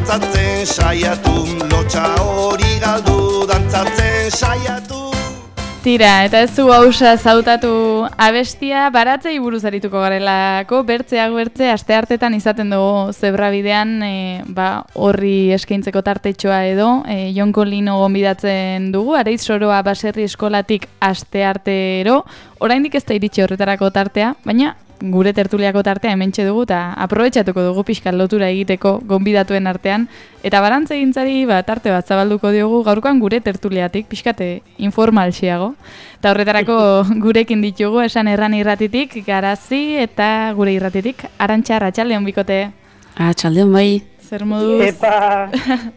dantzatzen saiatu, lotxa hori galdu dantzatzen saiatu. Tira, eta ez zu hausa zautatu abestia, baratzei buruz arituko garelako, bertzeak bertze, asteartetan izaten dugu zebrabidean, horri eskaintzeko tartetxoa edo, Jonko Lino gonbidatzen dugu, Areiz Soroa baserri eskolatik asteartero, oraindik ez da iritsi horretarako tartea, baina gure tertuliako tartea hementxe dugu eta aprobetxatuko dugu pixkat lotura egiteko gonbidatuen artean eta barantzegintzari tarte bat zabalduko diogu gaurkoan gure tertuliatik pixkate informalxiago eta horretarako gurekin ditugu esan erran irratitik Garazi eta gure irratitik Arantxa Arratsaldeon bikote. Arratsaldeon bai. Zer moduz? Epa!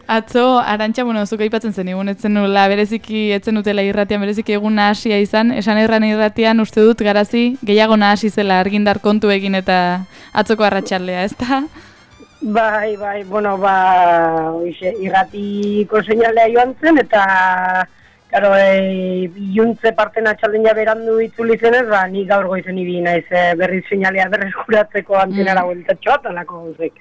Atzo, Arantxa, zuk aipatzen zen egun, etzen nula bereziki, etzen utela irratian, bereziki egun nahasia izan, esan erran irratian uste dut Garazi gehiago nahasi zela argindar kontu egin eta atzoko arratsaldea, ezta? Bai, irratiko seinalea joan zen, eta claro, iluntze parten atxalden ja berandu itzuli zenez, ni gaur goizen ibi naiz berriz seinalea berreskuratzeko antenara bueltatxoa, talako gauzek.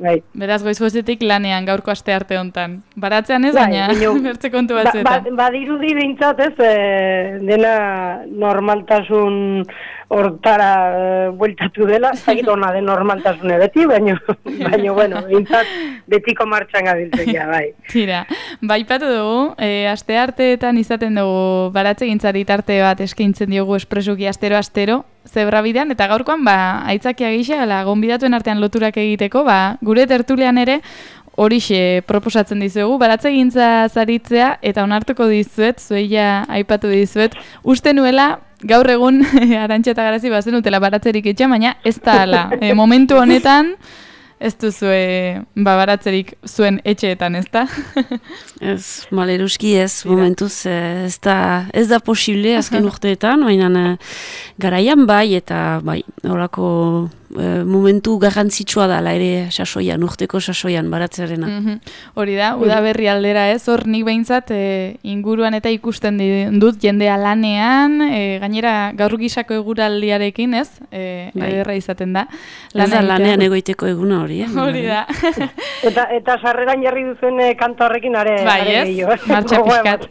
Bai. Beraz, goiz-goizetik lanean gaurko astearte hontan. Baratzean ez, baina bertze kontu batzuetan. Badirudi behintzat ez, dena normaltasun hortara bueltatu dela, zagit hona den normaltasune beti, baina bueno, behintzat betiko martxan gabiltzea, bai. Tira, baipatu dugu, astearteetan izaten dugu baratzegintzari tarte bat eskaintzen diogu espresuki astero-astero, zebrabidean, eta gaurkoan, aitzakia gisa, gonbidatuen artean loturak egiteko, gure tertulian ere, horixe proposatzen dizuegu, baratzegintza zaritzea, eta onartuko dizuet, zueia aipatu dizuet, uste nuela, gaur egun, Arantxa eta Garazi bazen utela baratzerik etxea, baina ez da ala. Momentu honetan, ez duzue baratzerik zuen etxeetan, ez da? Ez, maleruski ez, momentuz ez da posible azken urteetan, baina garaian bai, eta bai, horako momentu garrantzitsua da, ere sasoian, urteko sasoian baratzearena. Hori da, udaberri aldera ez, hor nik behintzat inguruan eta ikusten dut jendea lanean, gainera gaur gisako eguraldiarekin ez, ederra izaten da. Ez da lanean egoiteko eguna hori, Hori da. Eta sarreran jarri duzen kanta horrekin are gehiago. Martxa pixkat.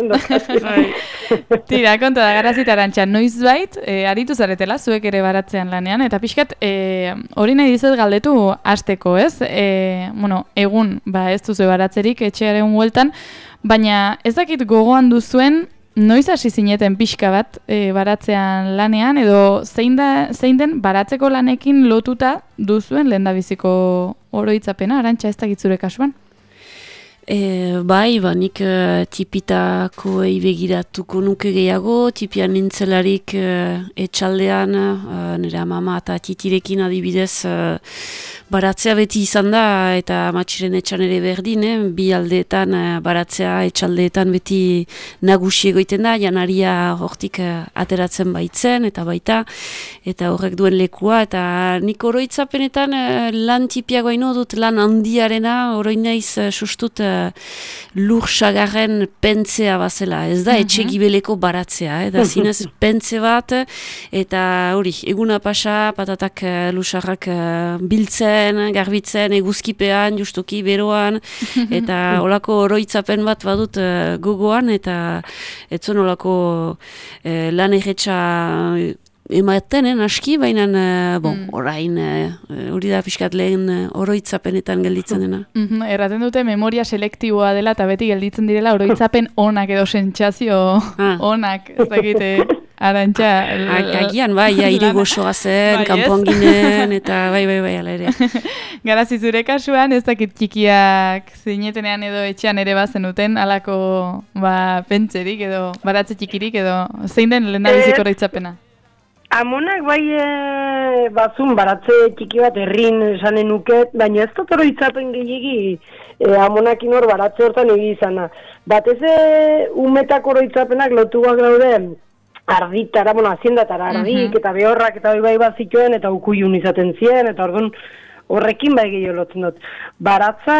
Tira, konta da, Garazi eta Arantxa, noizbait, aritu zaretela, zuek ere baratzean lanean, eta pixkat, hori nahi dizet galdetu hasteko, ez? Egun, ez duzu baratzerik etxearen hueltan, baina ez dakit gogoan duzuen, noiz hasi zineten pixka bat baratzean lanean, edo zein den baratzeko lanekin lotuta duzuen lehendabiziko oroitzapena, Arantxa, ez dakit zure kasuan? Bai, nik tipitako begiratuko nuke gehiago, tipian nintzelarik etxaldean, nire mama eta titirekin adibidez baratzea beti izan da, eta matxiren etxan ere berdin, bi aldeetan baratzea etxaldeetan beti nagusi egoiten da, janaria hortik ateratzen baitzen, eta baita, eta horrek duen lekua, eta nik oroitzapenetan lan tipiagoa ino dut, lan handiarena, oroin naiz sustut lur sagarren pentzea bazela, ez da etxe gibeleko baratzea, da zinez pentze bat, eta hori, eguna pasa, patatak lusarrak biltzen, garbitzen, eguzkipean, justuki, beroan, eta olako oroitzapen bat badut gogoan, eta etzon olako lan erretxa ematen, aski, baina, orain, hori da pixkat lehen oroitzapenetan gelditzen dena. Erraten dute memoria selektiboa dela, eta beti gelditzen direla oroitzapen onak edo sentsazio onak, ez dakite, Arantxa. Agian, bai, irigosoa zen, kanpoan ginen, eta bai, ala ere. Garazi zure kasuan, ez dakit txikiak zinetenean edo etxean ere bazenuten, alako pentserik edo baratze txikirik edo zein den lehendabiziko oroitzapena? Amonak bai bazun baratze txiki bat herrin esanen nuket, baina ez dut oroitzapen gehiegi amonakin hor baratze hortan egi izana. Batez umetako oroitzapenak lotuak daude arditara, haziendatara ardik eta behorrak eta bai bat zituen eta ukuyun izaten zien, eta orduan horrekin bai gehiago lotzen dut. Baratza,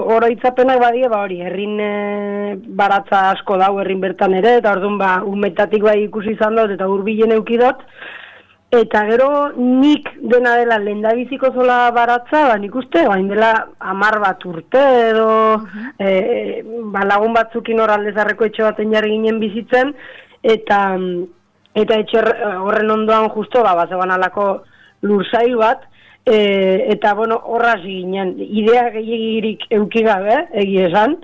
oroitzapenak badie, hori, herrin baratza asko dau herrin bertan ere, eta orduan umetatik bai ikusi izan dut, eta hurbilen eukidot, Eta gero nik dena dela lehendabiziko zola baratza, nik uste, bain dela 10 bat urte edo lagun batzukin hor Aldezarreko etxe baten jarri ginen bizitzen, eta etxe horren ondoan justo, bazegoan alako lursail bat, eta, horra ginen, idea gehiagirik euki gabe, egia esan,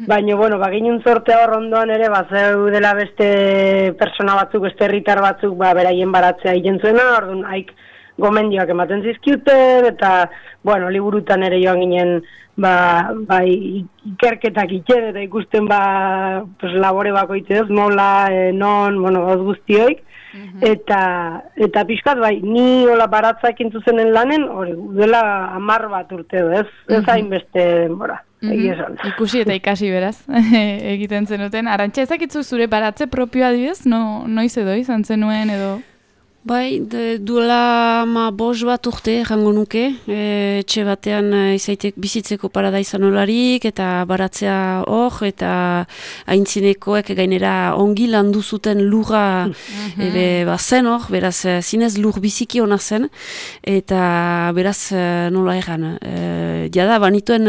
baina, ginen zortea hor ondoan ere, zeu dela beste persona batzuk, beste herritar batzuk, beraien baratzea egin zuena, orduan, haik gomendioak ematen zizkiuten, eta, liburutan ere joan ginen, ikerketak itxer, eta ikusten, labore bakoitzez, nola, non, oz guztioik, eta pixkat, ni hola baratzak intuzenen lanen, hori, dela 10 bat urte edo, ez hainbeste denbora. Ikusi eta ikasi beraz, egiten zenuten. Arantxa, ezakitzu zure baratze propioa adibidez, noiz edo izan zenuen edo? Bai, duela 5 bat urte, jango nuke, etxe batean izaitek bizitzeko parada izan olarik, eta baratzea hor, eta aintzinekoek gainera ongi landu zuten lurra zen hor, beraz, zinez lur biziki hona zen, eta beraz, nola egan, jada, banituen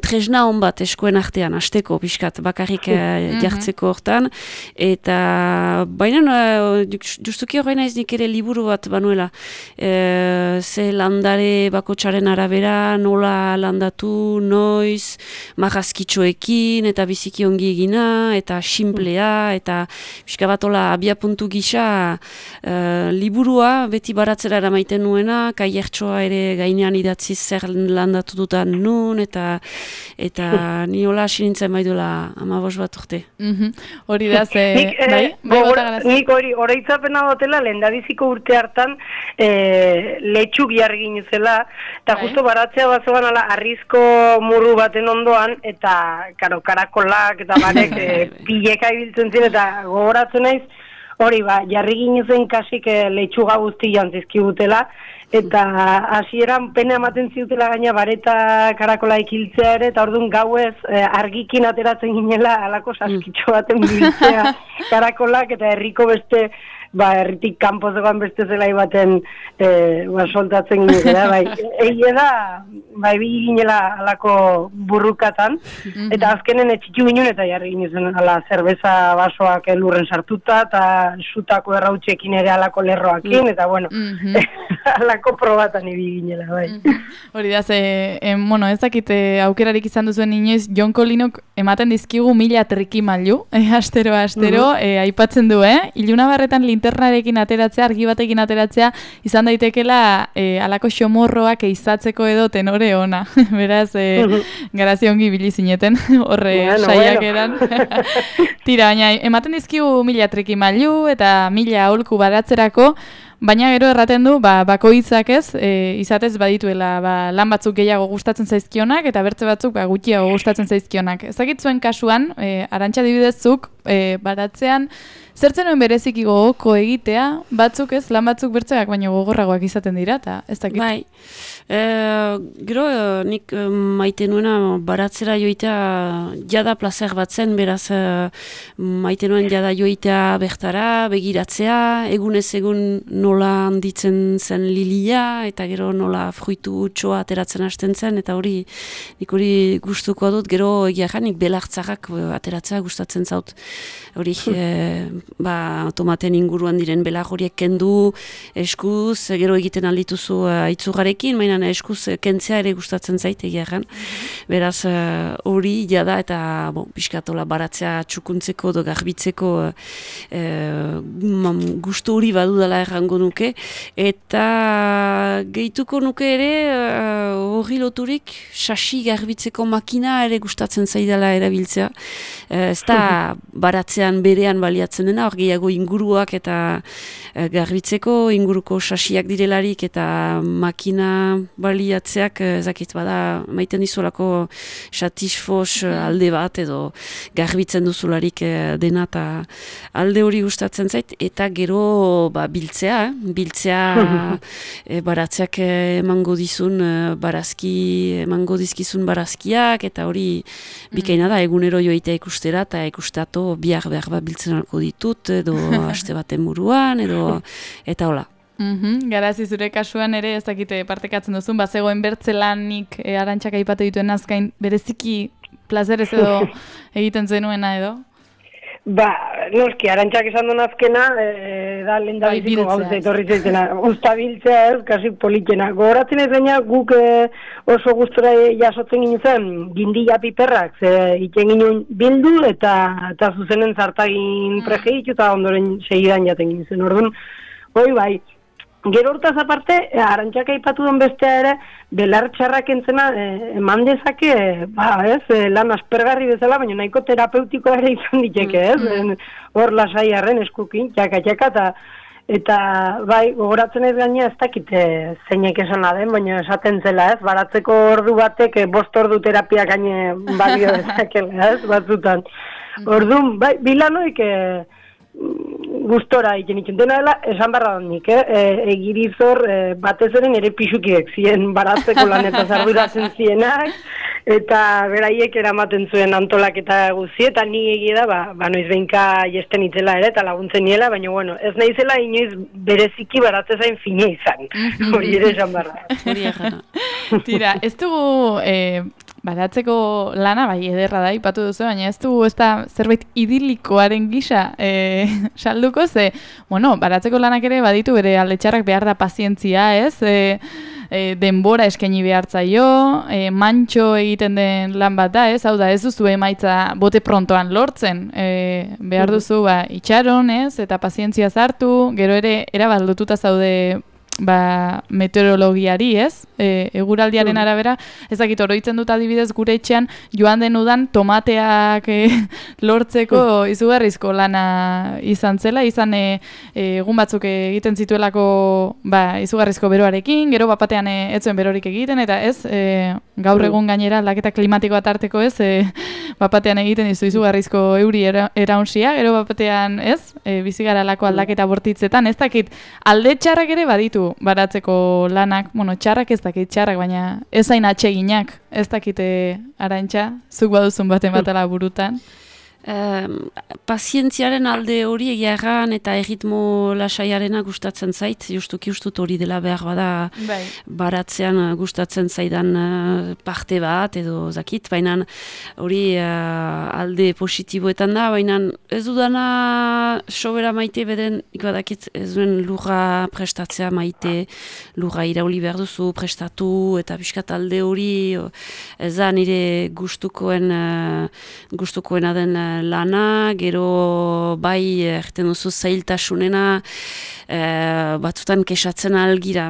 tresna hon bat eskoen artean, hasteko pixkat, bakarrik jartzeko hortan, eta baina, justuki horrein naiz nik ere liburu bat banuela. Ze landare bakotxaren arabera, nola landatu, noiz, marrazkitxoekin, eta biziki ongi egina, eta simplea, eta pixka bat hola abiapuntu gisa liburua beti baratzera eramaiten nuena, kaiertxoa ere gainean idatzi zer landatu dutan nun, eta ni hola asinintzen bai duela 15 bat urte. Hori da, nik hori oroitzapena dutela lehendabiziko urte hartan letxuk jarri ginezela, eta justo baratzea bazoan ala arrizko murru baten ondoan, eta karakolak eta barek pileka ibiltzen ziren, eta gogoratzen naiz, hori jarri ginezen kasik letxuga guzti jantzizkigutela, eta hasieran pena ematen ziutela gaina bareta karakola ikiltzea ere, eta orduan gauez argikin ateratzen ginela alako saskitxo baten biltzea karakolak, eta herriko beste herritik kanpo zegoen beste zelai baten soltatzen ginela, egia da, bi ginela alako burrukatan, eta azkenen etxitu ginen eta jarri ginen ala zerbeza basoak lurren sartuta, eta sutako errautxekin ere alako lerroakin, eta alako probatan ibi ginela, bai. Hori da, ez dakite aukerarik izan duzuen inoiz, Jon Kolinok ematen dizkigu 1000 trikimailu, astero, aipatzen du, Ilunabarretan linternarekin ateratzea, argi batekin ateratzea, izan daitekela alako xomorroak eizatzeko edo tenore ona. Beraz, garazi ongi bili zineten, horre saiak eran. Tira, baina, ematen dizkigu 1000 trikimailu eta 1000 aholku baratzerako, baina gero erraten du, bakoitzak ez, izatez badituela lan batzuk gehiago gustatzen zaizkionak, eta bertze batzuk gutxiago gustatzen zaizkionak. Ezagitzuen kasuan, Arantxa dibidezzuk, baratzean, zertzen nuen bereziki gogoko egitea, batzuk ez, lan batzuk bertzeak baino gogorragoak izaten dira, eta ez dakit. Bai, gero nik maite nuena baratzera joitea jada plazer bat zen, beraz maite nuen jada joitea bertara, begiratzea, egunez egun nola handitzen zen lilia, eta gero nola fruitu txoa ateratzen hasten zen, eta nik hori gustuko dut, gero egiaran nik belartzarrak ateratzea gustatzen zaut. Hori, tomaten inguruan diren belar horiek kendu eskuz, gero egiten aldituzu aitzugarekin, mainan eskuz kentzea ere gustatzen zait egiaran. Beraz, hori jada eta pixkatola baratzea txukuntzeko edo garbitzeko gustu hori badudala errango nuke, eta gehituko nuke ere hori loturik sasi garbitzeko makina ere gustatzen zaidala erabiltzea. Ez da baratzean berean baliatzen dena, hor gehiago inguruak eta garbitzeko inguruko sasiak direlarik eta makina baliatzeak ezakit bada maiten dizulako satisfos alde bat edo garbitzen duzularik dena eta alde hori gustatzen zait, eta gero biltzea baratzeak emango dizun emango dizkizun barazkiak, eta hori bikaina da egunero joitea ikustera eta ikustato behar biltzen alko ditut edo aste baten buruan edo eta hola. Garazi zure kasuan ere ez dakite partekatzen duzun, bazegoen bertzelanik Arantxak aipatu dituen azkain bereziki plazerez edo egiten zenuena edo? Ba, noski, Arantxak esan duen azkena, da lehen da biziko gauza etorri zaizena. Usta biltzea ez, kasi politena. Gogoratzen ez gaina guk oso gustora jasotzen ginen gindila piperrak, iten ginen bildu eta zuzenen zartagin prejeitu eta ondoren segidan jaten ginen. Orduan, hoi bai, gero hortaz aparte, Arantxak aipatu den bestea ere, belar txarrak entzena eman dezake, lan aspergarri bezala, baina nahiko terapeutikoa ere izan diteke, ez? Hor lasai arren eskukin, txaka, eta bai, gogoratzen ez gaina ez dakite zeinek esan den, baina esaten zela, ez? Baratzeko ordu batek 5 ordu terapia gaine balio dezakela, ez? Batzutan. Orduan, bai, bilanoik gustora egiten itxen dena dela, esan barra nik, egirizor batez eren ere pixukiek ziren baratzeko lanetaz arduratzen zienak, eta beraiek eramaten zuen antolaketa guzi, eta ni egia da, noiz behinka jesten itzela ere, eta laguntzen niela, baina bueno, ez naizela inoiz bereziki baratzezain fine izan, hori ere esan barra. Tira, ez dugu baratzeko lana, bai, ederra da, ipatu duzu, baina ez dugu ez da zerbait idilikoaren gisa salduko, ze, bueno, baratzeko lanak ere baditu bere aldetxarrak behar da pazientzia, ez? Denbora eskaini behartzaio, mantxo egiten den lan bat da, ez? Hau da, ez duzu emaitza bote prontoan lortzen, behar duzu itxaron, ez? Eta pazientzia zartu, gero ere erabaldututa zaude meteorologiari, ez? Eguraldiaren arabera, ez dakit oroitzen dut adibidez gure etxean joan den udan tomateak lortzeko izugarrizko lana izan zela, izan egun batzuk egiten zituelako izugarrizko beroarekin, gero bapatean ez zuen berorik egiten, eta ez, gaur egun gainera aldaketa klimatikoa tarteko ez, bapatean egiten dizu izugarrizko euri eraunsia, gero bapatean ez, bizigaralako aldaketa bortitzetan, ez dakit alde txarrak ere baditu baratzeko lanak, bueno, txarrak ez dakit txarrak, baina ez hain atseginak, ez dakite Arantxa, zuk baduzun baten batala burutan. Pazientziaren alde hori egiagan eta erritmo lasaiarena gustatzen zait, justuki ustut hori dela behar bada baratzean gustatzen zaidan parte bat edo zakit, baina hori alde positiboetan da, baina ez dudana sobera maite beden, ikbadakit ez duen lurra prestatzea maite, lurra irauli behar duzu, prestatu eta biskat alde hori ez da nire gustukoena den lana, gero bai erten duzu zailtasunena batzutan kesatzen algira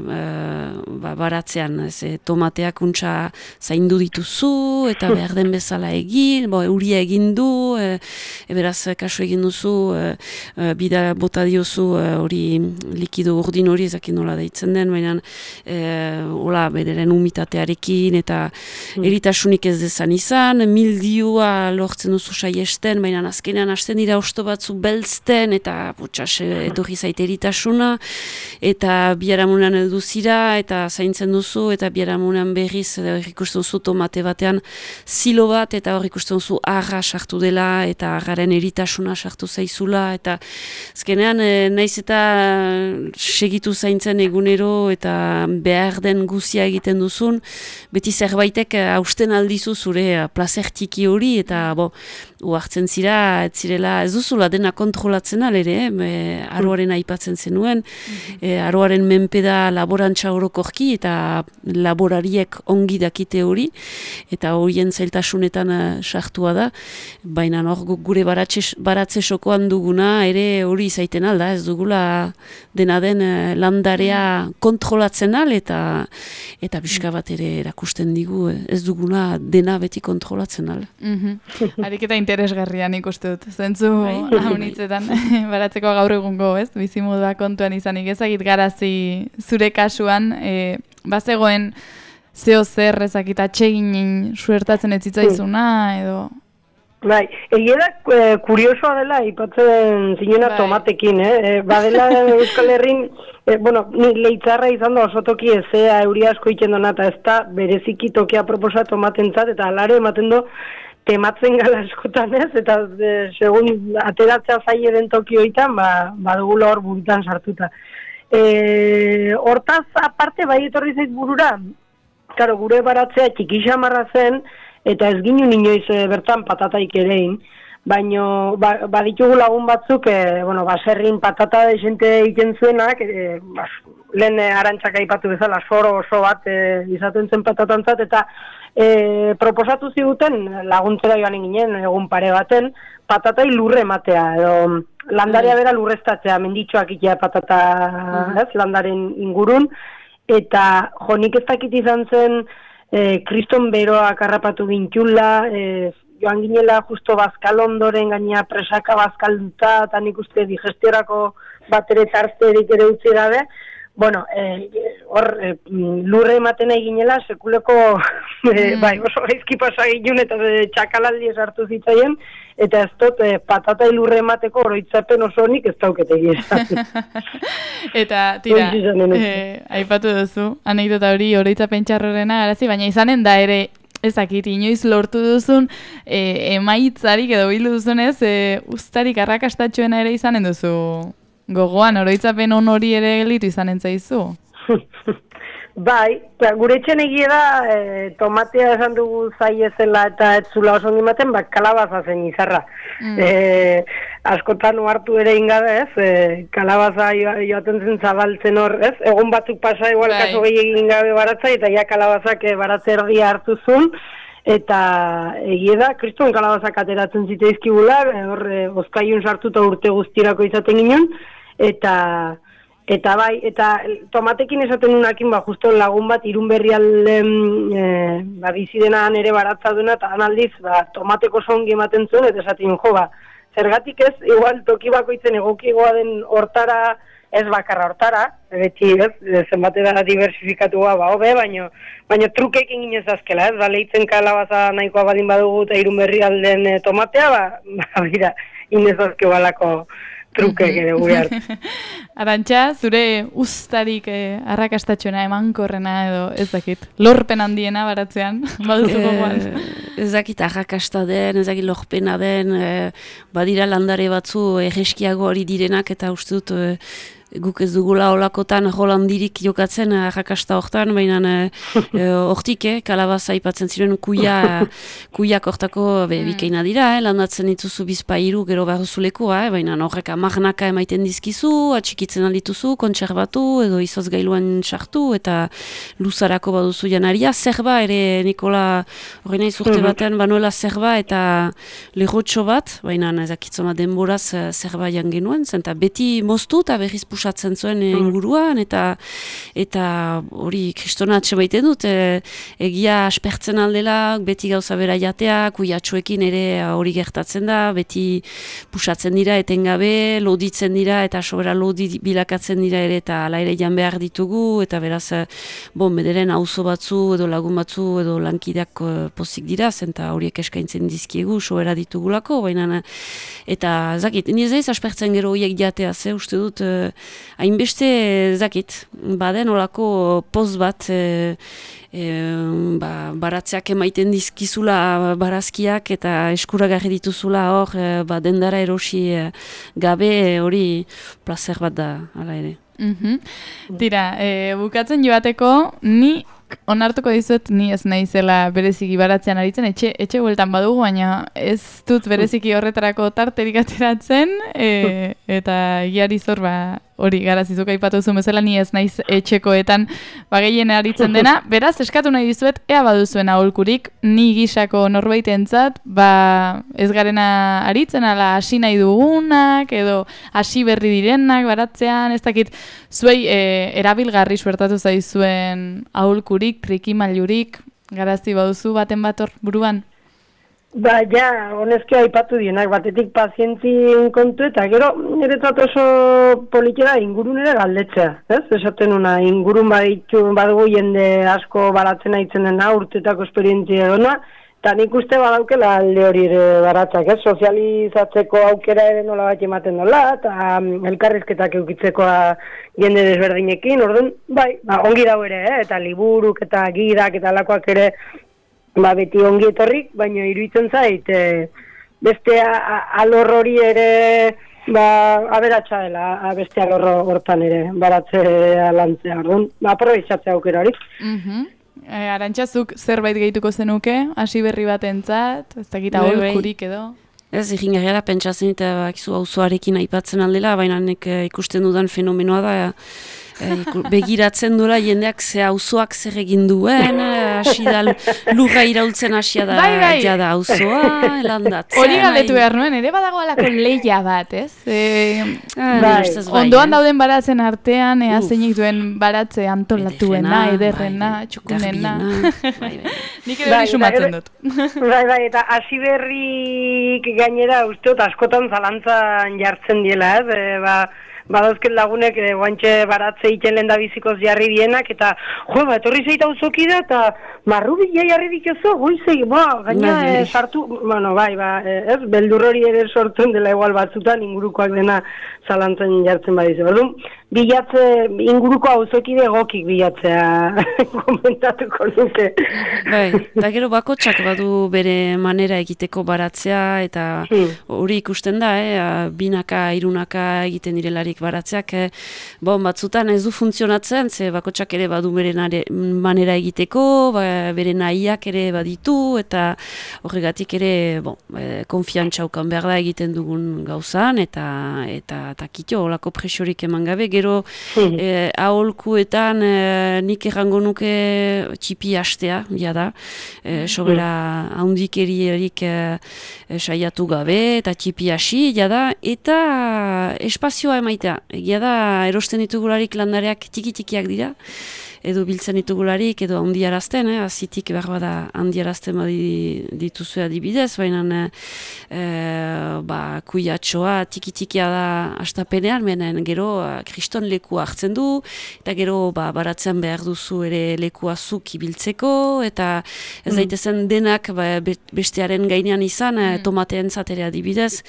baratzean, tomateak untxa zaindu dituzu eta behar den bezala egin, euria egin du, beraz kasu egin duzu, bida bota diozu hori likido urdin hori ezakin nola deitzen den, baina hola bederen umitatearekin eta eritasunik ez dezan izan, mildiua lortzen duzu saiesten, baina azkenean hasten dira osto batzu beltzten eta etorri zaite eritasuna eta biharamunan elduzira eta zaintzen duzu eta biharamunan berriz hor ikusten duzu tomate batean zilo bat eta hor ikusten duzu arra sartu dela eta arraren eritasuna sartu zaizula eta azkenean naiz eta segitu zaintzen egunero eta behar den guzia egiten duzun, beti zerbaitek hausten aldizu zure plazer txiki hori eta uartzen zira, ez duzula dena kontrolatzen alere, aroaren aipatzen zenuen, aroaren menpeda laborantza orokorki eta laborariek ongi dakite hori, eta horien zailtasunetan sartua da, baina gure baratze sokoan duguna ere hori izaiten alda, ez dugula dena den landarea kontrolatzen al, eta pixka bat ere erakusten digu, ez dugula dena beti kontrolatzen al. Ariketa interesgarrian ikuste dut, zentzu haunitzetan baratzeko gaur egungo, ez? Bizimodua kontuan izanik ezagit Garazi zure kasuan, bazegoen zeo zer ezakit atsegin suertatzen ez zitzaizuna, edo... Bai, egia da kuriosoa dela ipatzen zinena tomatekin, badela Euskal Herrin, ni leitzarra izan da oso toki ezea euri asko iten dona, eta ez da bereziki tokia proposa tomatentzat, eta alare ematen do tematzen gala askotan ez, eta segun ateratzea zaie den tokioitan, badugula hor burutan sartuta. Hortaz aparte bai etorri zait burura, claro, gure baratzea txiki xamarra zen, eta ez ginen inoiz bertan patataik erein, baino baditugu lagun batzuk, baserrin patata desente egiten zuenak, lehen Arantxak aipatu bezala soro oso bat izaten zen patatantzat, eta proposatu ziguten laguntzera joan ginen egun pare baten, patatai lurre ematea, edo landarea bera lurreztatzea, menditxoak itea patata landaren ingurun, eta nik ez dakit izan zen kriston beroak harrapatu gintxula, joan ginela justo bazkal ondoren gaina presaka bazkalduta, eta nik uste digestiorako bat ere tarterik ere utzi gabe, lurre ematen nahi ginela, sekuleko oso gaizki pasa ginen eta txakalaldi esartu zitzaien, eta ez dut patata lurre emateko oroitzapen oso honik ez dauketegi esan. Eta, tira, aipatu duzu, anekdota hori oroitzapen txarrorena garazi, baina izanen da ere, ezakit, inoiz lortu duzun emaitzarik edo bildu duzunez, uztarik arrakastatxoena ere izanen duzu gogoan, oroitzapen on hori ere gelitu izanen zaizu. Bai, gure etxen egia da, tomatea esan dugu zaiezela eta ez zula oso ongimaten, kalabaza zen izarra. Askotan ohartu ere ingabe, kalabaza joaten zen zabaltzen hor, egun batzuk pasa igual kaso gehiagin gabe baratza, eta ja kalabazak baratze erdia hartu zuen, eta egia da, kriston kalabazak ateratzen ziteizkigula, hor ozkaiun sartuta urte guztirako izaten ginen, Eta bai, eta tomatekin esaten unakin, justo lagun bat irun berrialden bizi dena ere baratza duena, eta analdiz, tomateko songi ematen zuen, eta esaten zergatik ez, igual toki bakoitzen egokigoa den hortara, ez bakarra hortara, beti zenbatera diversifikatua hobe, baina trukekin ginez azkela, leitzen kalabaza nahikoa badin badugu eta irun berrialden tomatea, bera, inez azke balako trukek ere gure hartu. Arantxa, zure uztarik arrakastatxoena emankorrena edo ez dakit, lorpen handiena baratzean, baduzu gogoan? Ez dakit arrakasta den, ez dakit lorpena den, badira landare batzu egeskiago hori direnak eta uste dut guk ez dugula olakotan holandirik jokatzen arrakasta hortan, baina hortik, kalabaza aipatzen ziren kuiak hortako bikaina dira, landatzen dituzu bizpairu gero barruzuleku, baina horrek amarnaka emaiten dizkizu, atxikitzen aldituzu, kontserbatu edo izoz gailuan sartu eta luzarako baduzu janaria, zerba ere Nikola horrein nahi zurte batean banuela zerba eta lehotxo bat, baina ezakitzoma denboraz zerba jan genuen, zenta beti moztu eta berriz pusatzen zuen inguruan, eta hori kristona atxe baiten dut, egia aspertzen aldela, beti gauza bera jatea, kuiatxoekin ere hori gertatzen da, beti pusatzen dira, etengabe, loditzen dira, eta sobera lodi bilakatzen dira ere, eta ala ere jan behar ditugu, eta beraz, bederen auzo batzu, edo lagun batzu, edo lankideak pozik dira, zenta horiek eskaintzen dizkiegu, sobera ditugulako, baina, eta zakit, ni ez daiz aspertzen gero horiek jatea, uste dut, hainbeste zakit, baden olako poz bat baratzeak emaiten dizkizula barazkiak eta eskuragarri dituzula hor dendara erosi gabe hori plazer bat da, hala ere. Tira, bukatzen joateko, ni onartuko dizuet ni ez naizela bereziki baratzean aritzen, etxe bueltan badugu, baina ez dut bereziki horretarako tarterik ateratzen, eta giari zor hori garazizuk aipatu zuen bezala, ni ez naiz etxekoetan gehien aritzen dena, beraz eskatu nahi dizuet, ea baduzuen aholkurik, ni gisako norbaitentzat, ez garena aritzen, ala hasi nahi dugunak, edo hasi berri direnak baratzean, ez dakit, zuei erabilgarri suertatu zaizuen aholkurik, trikimailurik, garazi baduzu baten bat hor buruan? Honezki aipatu dienak, batetik pazientzien kontu, eta gero, niretzat oso politera ingurun ere galdetzea, ez? Esaten una, ingurun badugu jende asko baratzen aitzen dena, urtetako esperientzia dona, eta nik uste badaukela alde hori ere baratzak, ez? Sozializatzeko aukera ere nola bat ematen dola, eta elkarrizketak eukitzekoa jende desberdinekin, orduan, ongi dau ere, eta liburuk eta gidak eta alakoak ere, beti ongi etorrik, baina iruditzen zait, beste alor hori ere aberatsa dela, abestia hortan ere, baratzea lantzea, orduan, aprobetxatzea aukera hori. Arantxazuk zerbait gehituko zenuke, hasi berri batentzat, ez dakit aholkurik edo? Ez, iringarriara pentsatzen eta bakizu auzoarekin aipatzen aldela, baina ikusten dudan fenomenoa da, begiratzen dura jendeak ze auzoak zer egin duen, hasi da lurra iraultzen hasia da jada auzoa, landatzen. Hori galdetu behar nuen, ere badago alako leia bat, ez? Ondoan dauden baratzen artean, zeinik duen baratze antolatuena, ederrena, txukunena. Nik edo hori sumatzen dut. Bai, eta hasi berrik gainera usteot askotan zalantzan jartzen diela, ez? Badauzken lagunek guantxe baratze iten lehen da bizikoz jarri dienak, eta etorri zeita auzoki da, eta marrubila jarri dikozo, goizei, gaina sartu, ez, beldur hori ere sortzen dela igual batzutan ingurukoak dena zalantzen jartzen badizu. Orduan, inguruko auzokide egokik bilatzea komentatuko nuke. Eta gero bakotsak badu bere manera egiteko baratzea, eta hori ikusten da, binaka, irunaka egiten direlarik baratzeak, batzutan ez du funtzionatzen, ze bakotsak ere badu bere manera egiteko, bere nahiak ere baditu, eta horregatik ere konfiantza ukan behar da egiten dugun gauzan, eta kitio, olako presiorik eman gabe, gero aholkuetan nik errango nuke txipi hastea, jada, sobera haundikeriarik saiatu gabe, eta txipi hasi, jada, eta espazioa emaitea. Egia da, erosten ditugularik landareak tiki-tikiak dira, edo biltzen ditugularik, edo handiarazten, azitik behar bada handiarazten dituzu adibidez, baina kuiatxoa tiki-tikia da astapenean, menen gero kriston leku hartzen du, eta gero baratzen behar duzu ere lekua zuk ibiltzeko, eta ez daitezen denak bestearen gainean izan, tomateen zatera adibidez,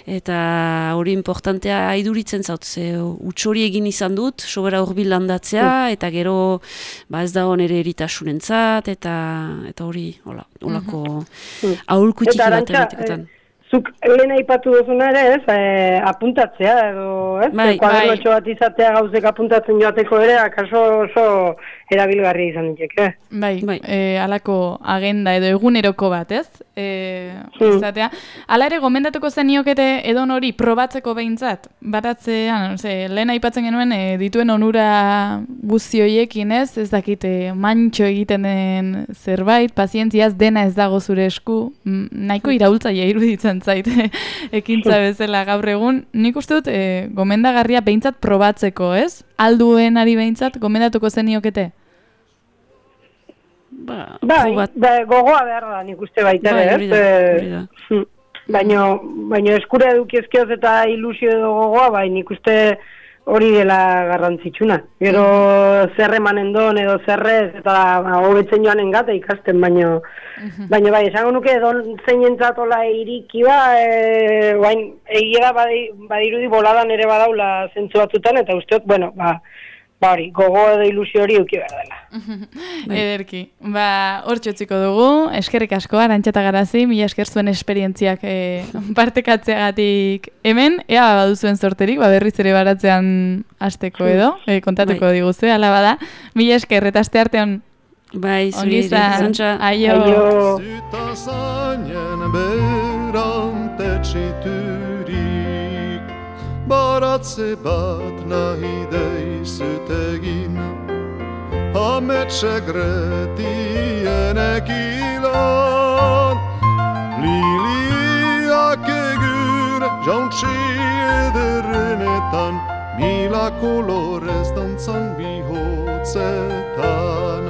eta hori importantea haiduritzen zaut, ze utxori egin izan dut, sobera horbil landatzea, eta gero ez da nere eritasunentzat, eta hori, holako aholku txiki bat egitekotan. Zuk lehen aipatu duzuna ere, ez, apuntatzea, edo, ez? Kuadernotxo bat izatea gauzek apuntatzen joateko ere, akaso oso erabilgarria izan ditek, alako agenda edo eguneroko bat, ez? Izatea. Hala ere, gomendatuko zeniokete edon hori probatzeko behintzat, baratzean, lehen aipatzen genuen dituen onura guztioiekin, ez dakite mantxo egiten den zerbait, pazientziaz dena ez dago zure esku, nahiko iraultzaia iruditzen zait ekintza bezala gaur egun. Nik uste dut gomendagarria behintzat probatzeko, ez? Alduen ari behintzat gomendatuko zeniokete? Gogoa behar da nik uste baita, ez? Baina eskura edukiezkeoz eta ilusio edo gogoa, nik uste hori dela garrantzitsuna. Gero zer emanen don edo zerrez, eta hobetzen joanen gata ikasten, baina esango nuke zeinentzatola iriki egia badirudi boladan ere badaula zentzu batzutan, eta usteot, hori, gogo edo ilusio hori euki behar dela. Ederki. Hor txotziko dugu, eskerrik asko, Arantxa eta Garazi, mila esker zuen esperientziak partekatzeagatik hemen, ea baduzuen sorterik, berriz ere baratzean hasteko edo, kontatuko diguzue, ala bada. Mila esker, eta aste artean. Zuri, zantxa. Aio. Zita zainen berantetxiturik, baratze bat nahi deizut egin, ametxegretien ekilan, liliak egur jauntsi ederrenetan, mila kolorez dantzan bihotzetan.